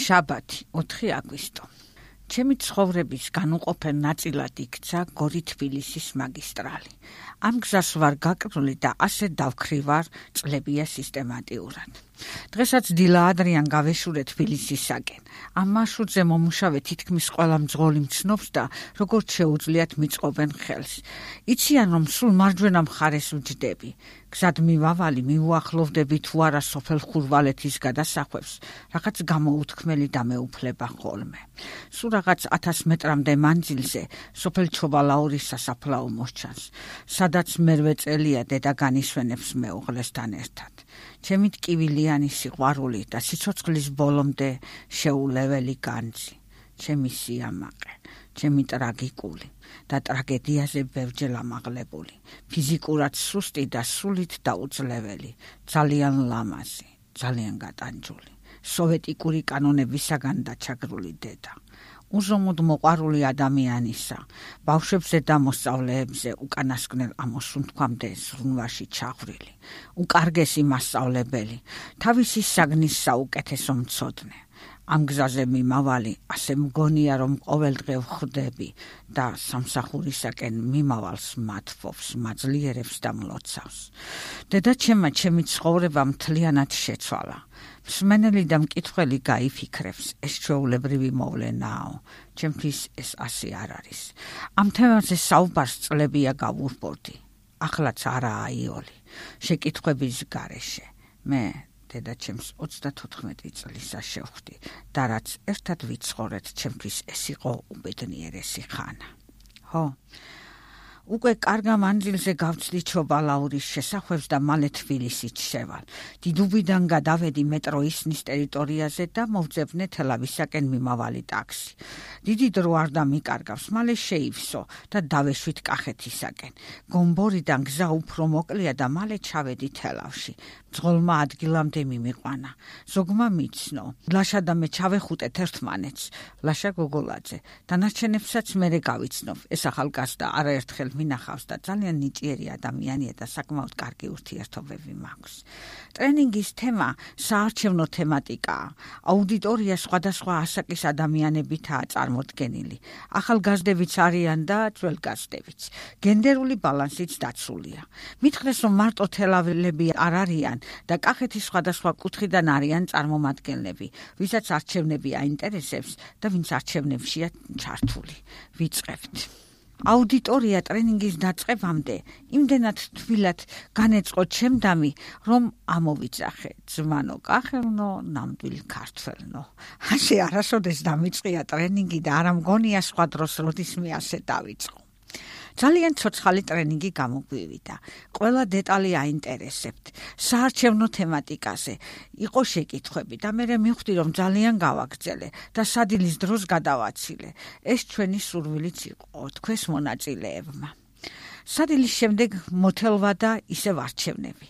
შაბათი 4 აგვისტო. ჩემი ცხოვრების განუყოფელ ნაწილად იქცა გორი-თბილისის მაგისტრალი. ამ გზას ვარ გაკრული და ასე დავქრივარ წლებია სისტემატიურად. დღესაც დილა ადრიან გავეშურე თბილისისაკენ. ამ მარშრუტზე მომუშავე თითქმის ყველა მძღოლი მცნობს და როგორც შეუძლიათ მიწყობენ ხელს. იციან, რომ სულ მარჯვენა მხარეს ვჯდები. გზად მივავალი მიუახლოვდები თუ არა სოფელ ხურვალეთის გადასახვევს, რაღაც გამოუთქმელი დამეუფლება ხოლმე. სულ რაღაც 1000 მეტრამდე მანძილზე სოფელ ჩობალაურის სასაფლაო მოსჩანს, სადაც მერვე წელია დედა განისვენებს მეუღლესთან ერთად. ჩემი ტკივილიანი სიყვარული და სიცოცხლის ბოლომდე შეულეველი განძი, ჩემი სიამაყე, ჩემი ტრაგიკული და ტრაგედიაზე ბევრჯერ ამაღლებული, ფიზიკურად სუსტი და სულით დაუძლეველი, ძალიან ლამაზი, ძალიან გატანჯული, სოვეტიკური კანონებისაგან დაჩაგრული დედა. უზომოდ მოყვარული ადამიანისა, ბავშვებზე და მოსწავლეებზე უკანასკნელ ამოსუნთქვამდე ზრუნვაში ჩაღვრილი, უკარგესი მასწავლებელი, თავისი საგნის საუკეთესო მცოდნე. ამ გზაზე მიმავალი, ასე მგონია, რომ ყოველდღე ვხვდები და სამსახურისაკენ მიმავალს მათფობს, მაძლიერებს და მლოცავს. დედაჩემმა ჩემი ცხოვრება მთლიანად შეცვალა. მსმენელი და მკითხველი გაიფიქრებს, ეს ჩვეულებრივი მოვლენაო, ჩემთვის ეს ასე არ არის. ამ თემაზე საუბარს წლებია გავურბორდი. ახლაც არაა იოლი, შეკითხვების გარეშე. მე დედაჩემს 34 წლისა შევხვდი და რაც ერთად ვიცხოვრეთ, ჩემთვის ეს იყო უბედნიერესი ხანა. ხო, უკვე კარგ მანძილზე გავცდი ჩობალაურის შესახვევს და მალე თბილისით შევალ. დიდუბიდან გადავედი მეტრო ისნის ტერიტორიაზე და მოვძებნე თელავისაკენ მიმავალი ტაქსი. დიდი დრო არ დამიკარგავს, მალე შეივსო და დავეშვით კახეთისაკენ. გომბორიდან გზა უფრო მოკლეა და მალე ჩავედი თელავში. მძღოლმა ადგილამდე მიმიყვანა. ზოგმა მიცნო. ლაშა და მე ჩავეხუტეთ ერთმანეთს. ლაშა გოგოლაძე. დანარჩენებსაც მერე გავიცნობ. ეს ახალგაზრდა არაერთხელ მინახავს და ძალიან ნიჭიერი ადამიანია და საკმაოდ კარგი ურთიერთობები მაქვს. ტრენინგის თემა საარჩევნო თემატიკაა. აუდიტორია სხვადასხვა ასაკის ადამიანებითაა წარმოდგენილი. ახალგაზრდებიც არიან და ძველგაზრდებიც. გენდერული ბალანსიც დაცულია. მითხრეს, რომ მარტო თელაველები არ არიან და კახეთის სხვადასხვა კუთხიდან არიან წარმომადგენლები, ვისაც არჩევნები აინტერესებს და ვინც არჩევნებშია ჩართული. ვიწყებთ. აუდიტორია ტრენინგის დაწყებამდე იმდენად თბილად განეწყო ჩემდამი, რომ ამოვიძახე ძმანო კახელნო, ნამდვილ ქართველნო. ასე არასოდეს დამიწყია ტრენინგი და არ მგონია სხვა დროს როდისმე ასე დავიწყო. ძალიან ცოცხალი ტრენინგი გამოგვივიდა. ყველა დეტალი აინტერესებთ. საარჩევნო თემატიკაზე იყო შეკითხვები და მე მივხვდი, რომ ძალიან გავაგრძელე და სადილის დროს გადავაცილე. ეს ჩვენი სურვილიც იყო თქვენს მონაწილეებმა. სადილის შემდეგ მოთელვა და ისევ არჩევნები.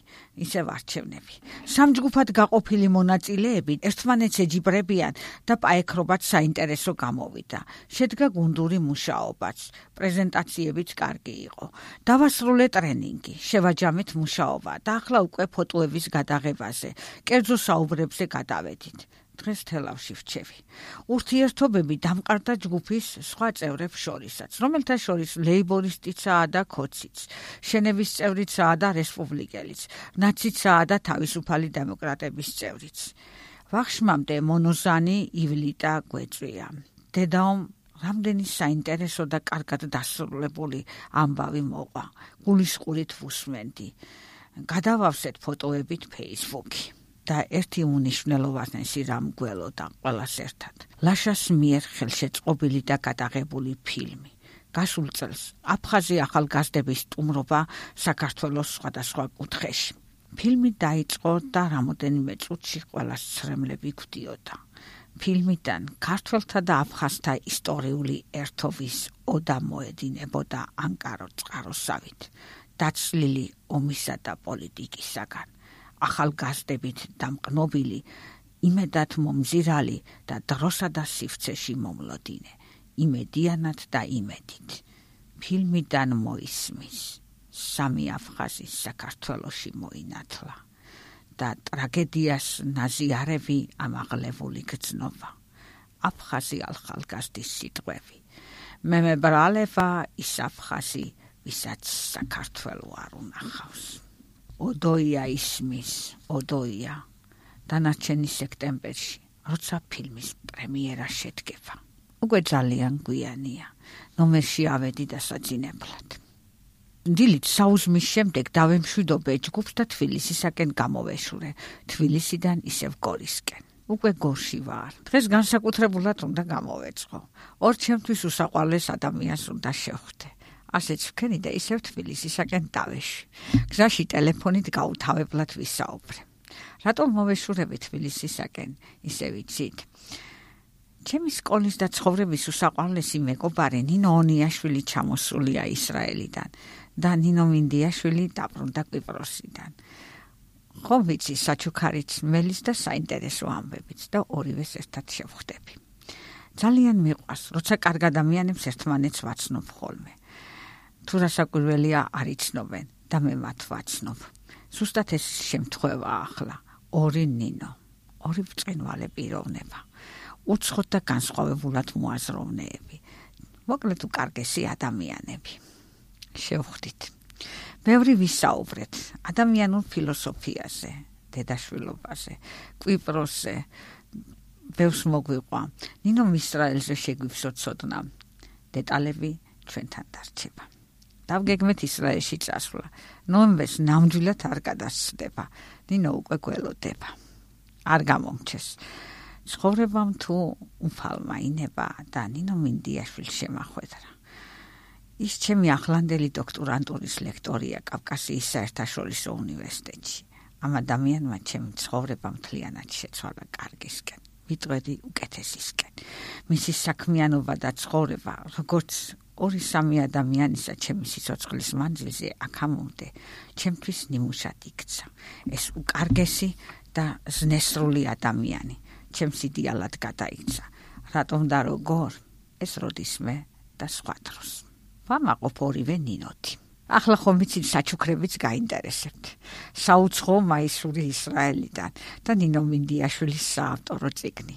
სამჯგუფად გაყოფილი მონაწილეები ერთმანეთს ეჯიბრებიან და პაექრობაც საინტერესო გამოვიდა. შედგა გუნდური მუშაობაც, პრეზენტაციებიც კარგი იყო. დავასრულე ტრენინგი, შევაჯამეთ მუშაობა და ახლა უკვე ფოტოების გადაღებაზე, კერძო საუბრებზე გადავედით. დღეს თელავში ვჩევი. ურთიერთობები დამყარდა ჯგუფის სხვა წევრებს შორისაც, რომელთა შორის ლეიბორისტიცაა და ქოციც, შენების წევრიცაა და რესპუბლიკელიც, ნაციცაა და თავისუფალი დემოკრატების წევრიც. ვახშმამდე მონოზანი ივლიტა გვეწვია. დედაომ რამდენი საინტერესო და კარგად დასრულებული ამბავი მოყვა. გულისყურით ვუსმენდი. გადავავსეთ ფოტოებით Facebook-ი. და ერთი უნიშნელოვანესი რამ გველოდა ყველას ერთად. ლაშას მიერ ხელშეწყობილი და გადაღებული ფილმი. გასულ წელს აფხაზი ახალგაზრდების სტუმრობა საქართველოს სხვადასხვა კუთხეში. ფილმი დაიწყო და რამოდენიმე წუთში ყველას ცრემლები გვდიოდა. ფილმიდან ქართველთა და აფხაზთა ისტორიული ერთობის ოდა მოედინებოდა ანკარო წყაროსავით, დაცლილი ომისა და პოლიტიკისაგან. ახალგაზრდებით დამყნობილი, იმედად მომზირალი და დროსა და სივრცეში მომლოდინე, იმედიანად და იმედით. ფილმიდან მოისმის, სამი აფხაზი საქართველოში მოინათლა და ტრაგედიას ნაზიარები ამაღლებული გრძნობა. აფხაზი ახალგაზრდის სიტყვები. მე მებრალება ის აფხაზი, ვისაც საქართველო არ უნახავს. ოდოია ისმის, ოდოია დანარჩენი სექტემბერში, როცა ფილმის პრემიერა შედგება. უკვე ძალიან გვიანია, ნომერში ავედი დასაძინებლად. დილით საუზმის შემდეგ დავემშვიდობე ჯგუფს და თბილისისაკენ გამოვეშურე, თბილისიდან ისევ გორისკენ. უკვე გორში ვარ. დღეს განსაკუთრებულად უნდა გამოვეწყო. ორ ჩემთვის უსაყვარლეს ადამიანს უნდა შევხვდე. ასეც ვქენი და ისევ თბილისისაკენ დავეშვი. გზაში ტელეფონით გაუთავებლად ვისაუბრე. რატომ მოვეშურები თბილისისაკენ, ისე ვიცით? ჩემი სკოლის და ცხოვრების უსაყვარლესი მეგობარი ნინო ონიაშვილი ჩამოსულია ისრაელიდან და ნინო მინდიაშვილი დაბრუნდა კვიპროსიდან. ხომ ვიცი საჩუქარიც მელის და საინტერესო ამბებიც და ორივეს ერთად შევხვდები. ძალიან მიყვარს, როცა კარგ ადამიანებს ერთმანეთს ვაცნობ ხოლმე. თუ რასაკვირველია არ იცნობენ და მე მათ ვაცნობ. ზუსტად ეს შემთხვევა ახლა. ორი ნინო, ორი ბრწყინვალე პიროვნება. უცხოდ და განსხვავებულად მოაზროვნეები. მოკლედ უკარგესი ადამიანები. შევხვდით. ბევრი ვისაუბრეთ ადამიანურ ფილოსოფიაზე, დედაშვილობაზე, კვიპროსზე. ბევრს მოგვიყვა. ნინო ისრაელზე შეგვიფსოცოდნა. დეტალები ჩვენთან დარჩება. დავგეგმეთ ისრაელში წასვლა. ნოემბერს ნამდვილად არ გადასცდება. ნინო უკვე გველოდება. არ გამომჩეს. ცხოვრებამ თუ უფალმა ინება და ნინო მინდიაშვილს შემახვედრა. ის ჩემი ახლანდელი დოქტორანტურის ლექტორია კავკასიის საერთაშორისო უნივერსიტეტში. ამ ადამიანმა ჩემი ცხოვრება მთლიანად შეცვალა კარგისკენ. ვიტყვედი უკეთესისკენ. მისი საქმიანობა და ცხოვრება, როგორც 2-3 ადამიანისა ჩემი სიცოცხლის მანძილზე აქამდე, ჩემთვის ნიმუშად იქცა. ეს უკარგესი და ზნესრული ადამიანი ჩემს იდეალად გადაიქცა. რატომ და როგორ? ეს როდისმე და სხვა დროს. ვამაყობ ორივე ნინოთი. ახლა ხომ ვიცით საჩუქრებიც გაინტერესებთ. საუცხო მაისური ისრაელიდან და ნინო მინდიაშვილის საავტორო წიგნი.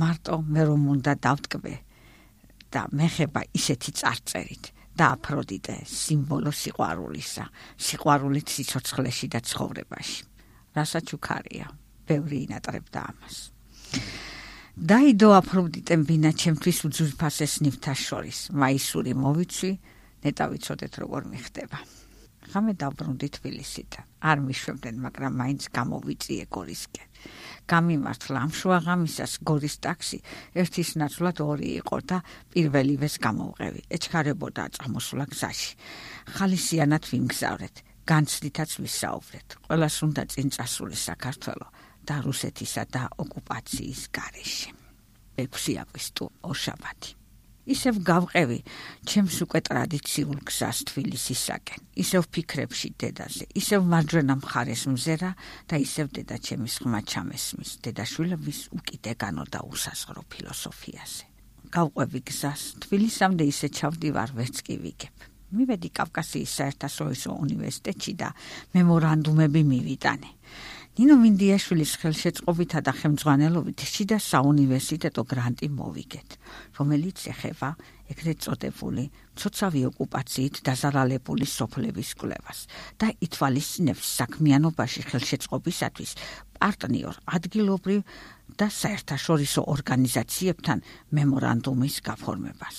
მარტო მე რომ უნდა დავტკბე და მეხება ისეთი წარწერით და აფროდიტე სიმბოლო სიყვარულისა, სიყვარულით სიცოცხლეში და ცხოვრებაში. რასაჩუქარია, ბევრი ინატრებდა ამას. დაიდო აფროდიტემ ბინა ჩემთვის უძვირფასეს ნივთას შორის. მაისური მოვიცვი, ნეტა ვიცოდეთ როგორ მიხდება. ღამე დავბრუნდი თბილისიდან. არ მიშვებდნენ, მაგრამ მაინც გამოვიწიე გორისკენ. გამიმართლა ამ შუა ღამისას გორის ტაქსი, ერთის ნაცვლად 2 იყო და პირველივეს გამოვყევი. ეჩქარებოდა წამოსვლა გზაში. ხალისიანად ვიმგზავრეთ, განცდითაც ვისაუბრეთ. ყველას უნდა წინ წასული საქართველო და რუსეთისა და ოკუპაციის გარეშე. 6 აგვისტო ორშაბათი. ისევ გავყევი ჩემს უკვე ტრადიციულ გზას თბილისისაკენ. ისევ ფიქრებში დედაზე, ისევ მარჯვენა მხარეს მზერა და ისევ დედა ჩემის ხმა ჩამესმის, დედაშვილების უკიდეგანო და უსაზღრო ფილოსოფიაზე. გავყვევი გზას, თბილისამდე ისე ჩავდივარ, ვერც კი ვიგებ. მივედი კავკასიის საერთაშორისო უნივერსიტეტში და მემორანდუმები მივიტანე. ნინო მინდიაშვილის ხელშეწყობითა და ხელმძღვანელობით შიდა საუნივერსიტეტო გრანტი მოვიგეთ, რომელიც ეხება ეგრეთ წოდებული მცოცავი ოკუპაციით დაზარალებული სოფლების კვლევას და ითვალისწინებს საქმიანობაში ხელშეწყობისათვის პარტნიორ ადგილობრივ და საერთაშორისო ორგანიზაციებთან მემორანდუმის გაფორმებას.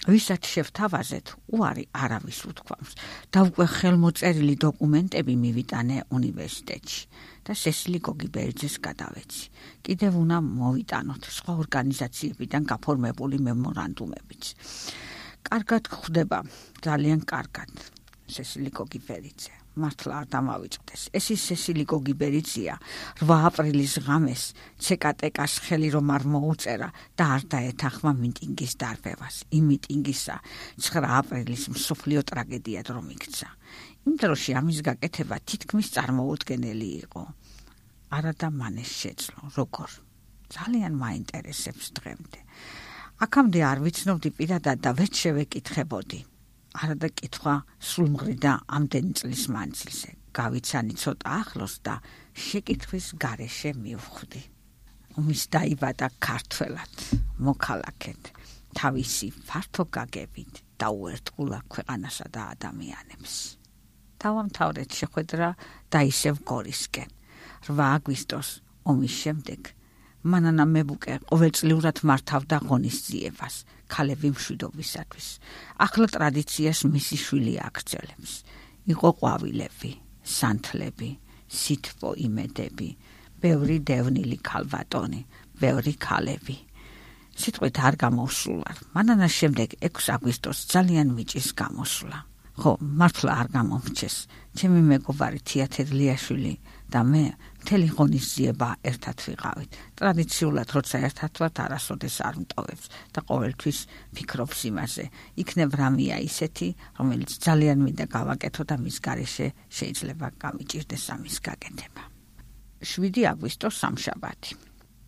ვისაც შევთავაზეთ, უარი არავის უთქვამს და უკვე ხელმოწერილი დოკუმენტები მივიტანე უნივერსიტეტში და სესილი გოგიბერიძეს გადავეცი. კიდევ უნდა მოვიტანოთ სხვა ორგანიზაციებიდან გაფორმებული მემორანდუმებიც. კარგად გვხვდება, ძალიან კარგად. სესილი გოგიბერიძე. მართლა არ დამავიწყდეს. ეს ის სესილი გოგიბერიძეა, 8 აპრილის ღამეს CKTK-ს ხელი რომ არ მოუწერა და არ დაეთანხმა მიტინგის დარბევას. იმ მიტინგისა 9 აპრილის მსოფლიო ტრაგედიად რომ იქცა. იმ დროში ამის გაკეთება თითქმის წარმოუდგენელი იყო. არა და მანეს შეძლო, როგორ? ძალიან მაინტერესებს დღემდე. აქამდე არ ვიცნობდი პირადად და ვერც შევეკითხებოდი. არა და კითხვა სულმღრიდა ამდენი წლის მანძილზე. გავიცანი ცოტა ახლოს და შეკითხვის გარეშე მივხვდი. ომის დაიბადა ქართველად. მოქალაქედ, თავისი ფართო გაგებით დაუერთგულა ქვეყანასა და ადამიანებს. დავამთავრეთ შეხვედრა და ისევ გორისკენ. 8 აგვისტოს ომის შემდეგ მანანა მებუკე ყოველწლიურად მართავდა ღონისძიებას ქალები მშვიდობისათვის. ახლა ტრადიციას მისი შვილი აგრძელებს. იყო ყვავილები, სანთლები, სითბო იმედები, ბევრი დევნილი ქალბატონი, ბევრი ქალები. სიტყვით არ გამოსულა. მანანას შემდეგ 6 აგვისტოს ძალიან მიჭის გამოსვლა. ხო, მართლა არ გამომრჩეს. ჩემი მეგობარი თეატრლიაშვილი და მე მთელი ღონისძიება ერთად ვიყავით. ტრადიციულად როცა ერთად ვართ, არასოდეს არ მტოვებს და ყოველთვის ფიქრობს იმაზე. იქნებ რამეა ისეთი, რომელიც ძალიან მინდა გავაკეთო და მის გარეშე შეიძლება გამიჭირდეს ამის გაკეთება. 7 აგვისტოს სამშაბათი.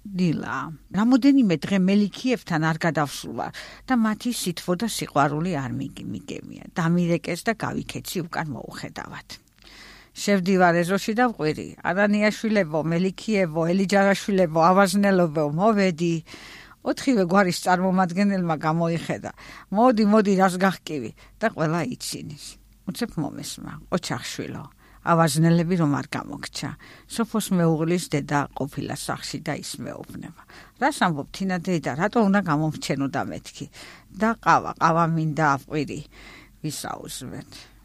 დილა. რამოდენიმე დღე მელიქიევთან არ გადავსულა და მათი სითბო და სიყვარული არ მიგემია. დამირეკეს და გავიქეცი უკან მოუხედავად. შევდივარ ეზოში და ვყვირი. არანიაშვილებო, მელიქიევო, ელიჯარაშვილებო, ავაზნელობო, მოვედი. 4 გვარის წარმომადგენელმა გამოიხედა. მოდი, რას გახკივი და ყველა იცინის. უცებ მომესმა, ოჩახშვილო. ავაზნელები რომ არ გამოგჩა. სოფოს მეუღლის დედა ყოფილა სახში და ის მეუბნება. რას ამბობ თინა დედა, რატო უნდა გამომრჩენო და მეთქი? და ყავა მინდა აფყვირი.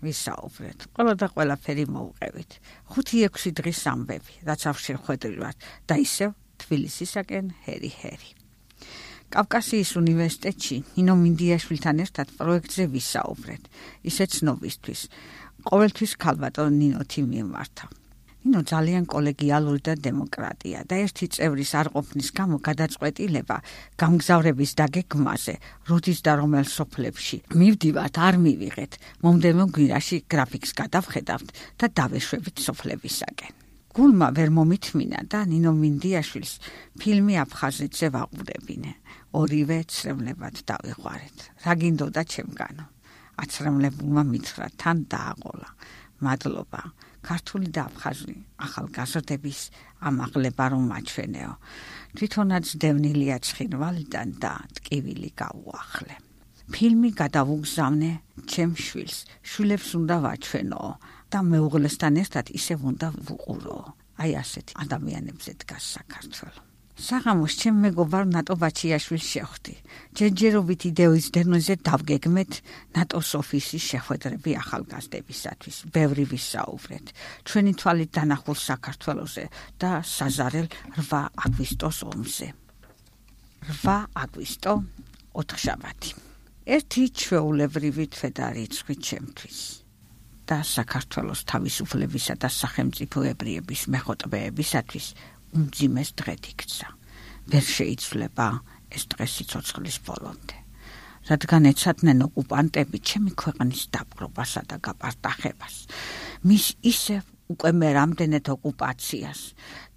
ვისაუბრეთ. ყველა და ყველაფერი მოვყევით. 5-6 დღის ამბები, რაც ავშენ ხვედრივართ და ისევ თბილისისაკენ ჰერი. კავკასიის უნივერსიტეტში ნინო მინდიაშვილთან ერთად პროექტზე ვისაუბრეთ. ისე ცნობისთვის. ყოველთვის ქალბატონ ნინოთი მიმართა. ნინო ძალიან კოლეგიალური და დემოკრატია და ერთი წევრის არ ყოფნის გამო გადაწყვეტილება გამგზავრების დაგეგმვაზე, როდის და რომელ სოფლებში მივდივართ, არ მივიღეთ. მომდევნო გვირაში გრაფიკს გადავხედავთ და დავეშვებით სოფლებისაკენ. გულმა ვერ მომითმინა და ნინო მინდიაშვილს ფილმი აფხაზეთზე ვაყურებინე. ორივე ცრემლებად დავიყვარეთ. რა გინდოდა ჩემგანო? აცრემლებულმა მითხრა, თან დააყოლა. მადლობა. ქართული და აფხაზური ახალგაზრდების ამაღლება რომ მაჩვენეო. თვითონაც დევნილია ცხინვალიდან და ტკივილი გაუახლე. ფილმი გადავუგზავნე ჩემ შვილს. შვილებს უნდა ვაჩვენო და მეუღლესთან ერთად ისევ უნდა ვუყურო. აი ასეთი ადამიანებზე დგას საქართველო. საღამოს ჩემ მეგობარ ნატო ბაჩიაშვილს შევხვდი. ჯერჯერობით იდეის დენოზე დავგეგმეთ ნატოს ოფისის შეხვედრები ახალგაზრდებისათვის. ბევრი ვისაუბრეთ. ჩვენი თვალით დანახულ საქართველოზე და საზარელ 8 აგვისტოს ომზე. 8 აგვისტო 4-შაბათი. ერთი ჩვეულებრივი თვედა რიცხვი ჩემთვის და საქართველოს თავისუფლებისა და სახელმწიფოებრიების მეხოტბეებისათვის უმძიმეს დღედ იქცა. ვერ შეიცვლება ეს დღე სიცოცხლის ბოლომდე. რადგან ეცადნენ ოკუპანტები ჩემი ქვეყნის დაპყრობასა და გაპარტახებას. მის ისევ უკვე მე რამდენად ოკუპაციას,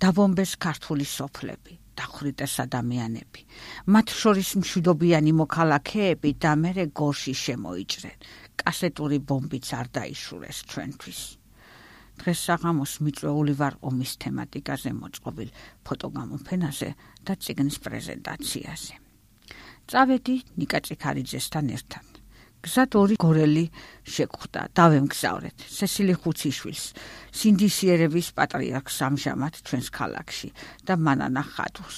დაბომბეს ქართული სოფლები, დახვრიტეს ადამიანები, მათ შორის მშვიდობიანი მოქალაქეები და მერე გორში შემოიჭრენ. კასეტური ბომბიც არ დაიშურეს ჩვენთვის. დღეს საღამოს მიწვეული ვარ ომის თემატიკაზე მოწყობილ ფოტოგამოფენაზე და წიგნის პრეზენტაციაზე. წავედი ნიკა წიქარიძესთან ერთად. გზად 2 გორელი შეგხვდა, დავემგზავრეთ სესილი ხუციშვილს, სინდისიერების პატრიარქს ამჟამად ჩვენს ქალაქში და მანანა ხატვს.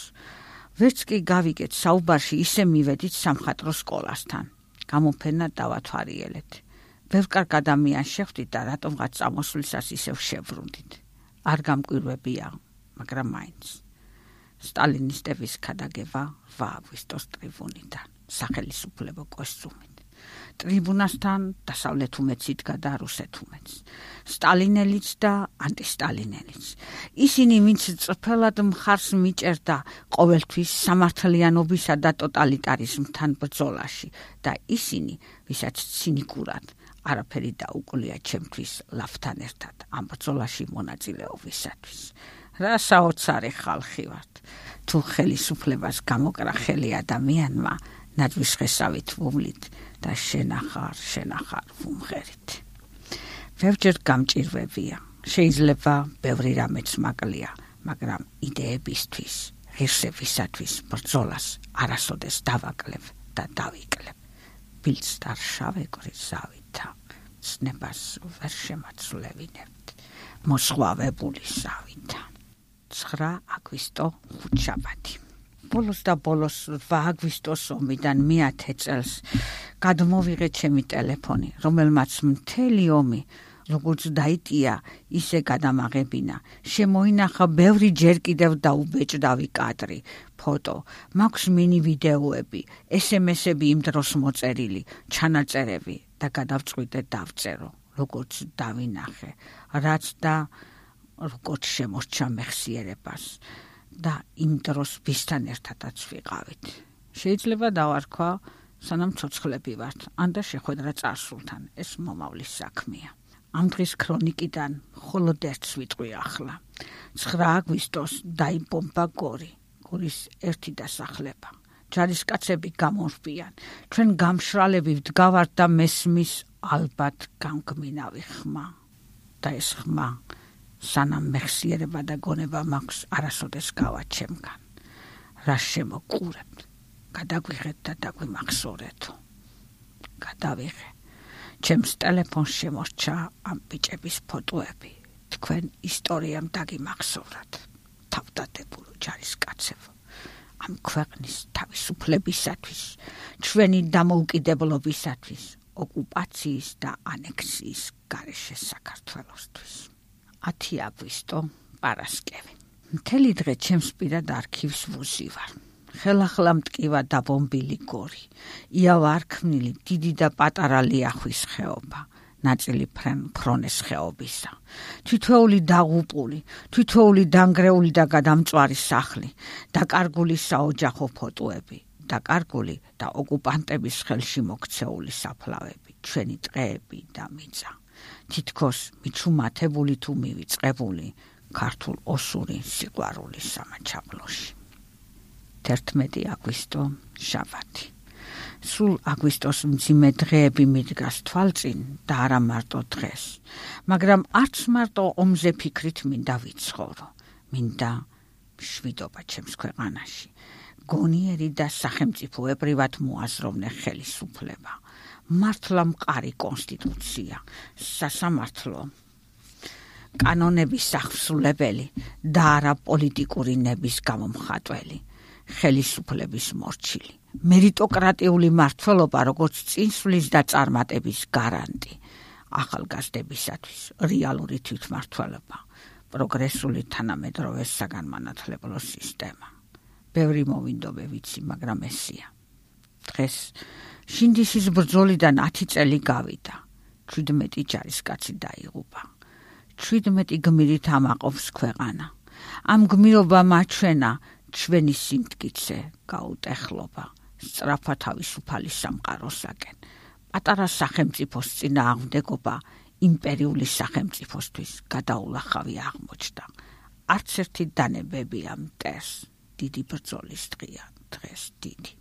ვერც კი გავიგეთ საუბარში ისე მივედით სამხატვრო სკოლასთან. გამოფენა დავათვალიერეთ. ბევრ კარგ ადამიანს შეხვდით და რატომღაც წამოსვლისას ისევ შევრუნდით. არ გამკვირვებია, მაგრამ მაინც. სტალინისტების ქადაგება 8 აგვისტოს ტრიბუნიდან, სახელისუფლებო კოსტუმით. ტრიბუნასთან დასავლეთ უმეც იდგა და რუსეთ უმეც. სტალინელიც და ანტისტალინელიც. ისინი ვინც წრფელად მხარს მიჭერდა ყოველთვის სამართლიანობისა და ტოტალიტარიზმთან ბრძოლაში და ისინი, ვისაც ცინიკურად არაფერი დაუკლია ჩემთვის ლავთან ერთად ამ ბრძოლაში მონაწილეობისათვის. რა საოცარი ხალხი ვართ. თუ ხელისუფლებას გამოკრახელი ადამიანმა ნაძვის ხესავით ვუმლით და შენახარ ვუმღერით. ბევრჯერ გამჭირვებია. შეიძლება ბევრი რამეც მაკლია, მაგრამ იდეებისთვის, ღირსებისათვის ბრძოლას არასოდეს დავაკლებ და დავიკლებ. ბილწ და შავე გრიზავითა ცნებას ვერ შემაცვლევინებთ მოსხვავებული სავითა. 9 აგვისტო ხუთშაბათი. ბოლოს 8 აგვისტოს ომიდან მე-10 წელს გადმოვიღე ჩემი ტელეფონი, რომელმაც მთელი ომი როგორც დაიტია, ისე გადამაღებინა. შემოინახა ბევრი ჯერ კიდევ დაუბეჭდავი კადრი, ფოტო, მაქვს მინი ვიდეოები, SMS-ები იმ დროს მოწერილი, ჩანაწერები და გადავწყვიტე დავწერო, როგორც დავინახე, რაც და როგორც შემორჩა მეხსიერებას და იმ დროს ვისთან ერთადაც ვიყავით. შეიძლება დავარქვა, სანამ ცოცხლები ვართ, ან და შეხვედრა წარსულთან, ეს მომავლის საქმეა. ამ დღის ქრონიკიდან მხოლოდ ერთს ვიტყვი ახლა. 9 აგვისტოს დაიბომბა გორი, გორის ერთი დასახლება. ჯარისკაცები გამორბიან, ჩვენ გამშრალები ვდგავართ და მესმის ალბათ გამგმინავი ხმა. და ეს ხმა, სანამ მეხსიერება და გონება მაქვს, არასოდეს გავა ჩემგან. რა შემოყურებთ, გადაგვიღეთ და დაგვიმახსოვრეთო. გადავიღე. ჩემს ტელეფონს შემორჩა ამ ბიჭების ფოტოები. თქვენ ისტორიამ დაგიმახსოვრათ. თავდადებულო ჯარისკაცებო, ამ ქვეყნის თავისუფლებისათვის, ჩვენი დამოუკიდებლობისათვის, ოკუპაციის და ანექსიის გარეშე საქართველოსთვის. 10 აგვისტო პარასკევი. მთელი დღე ჩემს პირად არქივს ვუზივარ. ხელახლა მტკივა დაბომბილი გორი, იავარქმნილი დიდი და პატარა ლიახვის ხეობა, ნაწილი ფრონეს ხეობისა. თითოეული დაღუპული, თითოეული დანგრეული და გადამწვარი სახლი, დაკარგული საოჯახო ფოტოები, დაკარგული და ოკუპანტების ხელში მოქცეული საფლავები, ჩვენი ტყეები და მიწა. თითქოს მიჩუმათებული თუ მივიწყებული ქართულ ოსური სიყვარულის სამაჩაბლოში. 11 აგვისტო შაბათი. სულ აგვისტოს მძიმე დღეები მიდგას თვალწინ და არა მარტო დღეს, მაგრამ არც მარტო ომზე ფიქრით მინდა ვიცხოვრო, მინდა მშვიდობა ჩემს ქვეყანაში, გონიერი და სახელმწიფოებრივად მოაზროვნე ხელისუფლება, მართლა მყარი კონსტიტუცია, სასამართლო, კანონების აღსრულებელი და არა პოლიტიკური ნების გამომხატველი, ხელისუფლების მორჩილი, მერიტოკრატიული მმართველობა, როგორც წინსვლის და წარმატების გარანტი, ახალგაზრდებისათვის რეალური თვითმმართველობა, პროგრესული თანამედროვე საგანმანათლებლო სისტემა. ბევრი მოვინდობე ვიცი, მაგრამ ესია. დღეს შინდისის ბრძოლიდან 10 წელი გავიდა. 17 ჯარისკაცი დაიღუპა. 17 გმირით ამაყობს ქვეყანა. ამ გმირობა მაჩვენა ჩვენი სიმტკიცე, გაუტეხლობა, სწრაფა თავისუფალი სამყაროსაკენ, პატარა სახელმწიფოს წინააღმდეგობა იმპერიული სახელმწიფოსთვის გადაულახავი აღმოჩნდა. არც ერთი დანებებია მტერს, დიდი ბრძოლის დღეა, დღეს დიდი.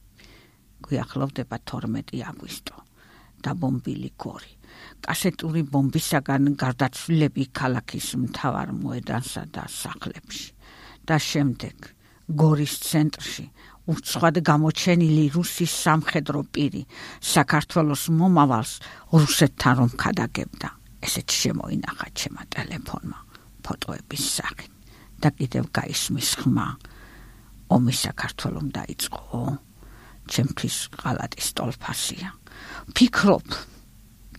გვიახლოვდება 12 აგვისტო, დაბომბილი გორი, კასეტური ბომბისაგან გარდაცვლილები ქალაქის მთავარ მოედანსა და სახლებში და შემდეგ გორის ცენტრში უცხოდ გამოჩენილი რუსის სამხედრო პირი საქართველოს მომავალს რუსეთთან რომ ქადაგებდა. ესეც შემოინახა ჩემმა ტელეფონმა ფოტოების სახით და კიდევ გაისმის ხმა. ომი საქართველომ დაიწყო, ჩემთვის ღალატის ტოლფასია. ფიქრობ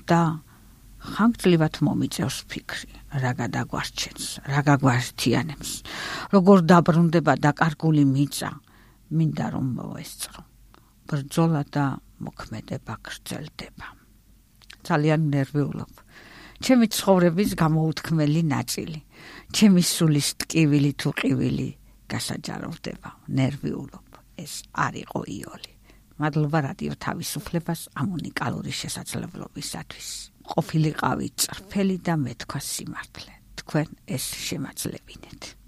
და ხანგრძლივად მომიწევს ფიქრი, რა გადაგვარჩენს, რა გაგვართიანებს, როგორ დაბრუნდება დაკარგული მიწა, მინდა რომ მოვესწრო. ბრძოლა და მოქმედება გრძელდება. ძალიან ნერვიულობ. ჩემი ცხოვრების გამოუთქმელი ნაწილი, ჩემი სულის ტკივილი თუ ყივილი გასაჯაროვდება, ნერვიულობ. ეს არ იყო იოლი. მადლობა რადიო თავისუფლებას ამ უნიკალური შესაძლებლობისათვის. ყოფილიყავი წრფელი და მეთქვა სიმართლე. თქვენ ეს შემაძლებინეთ.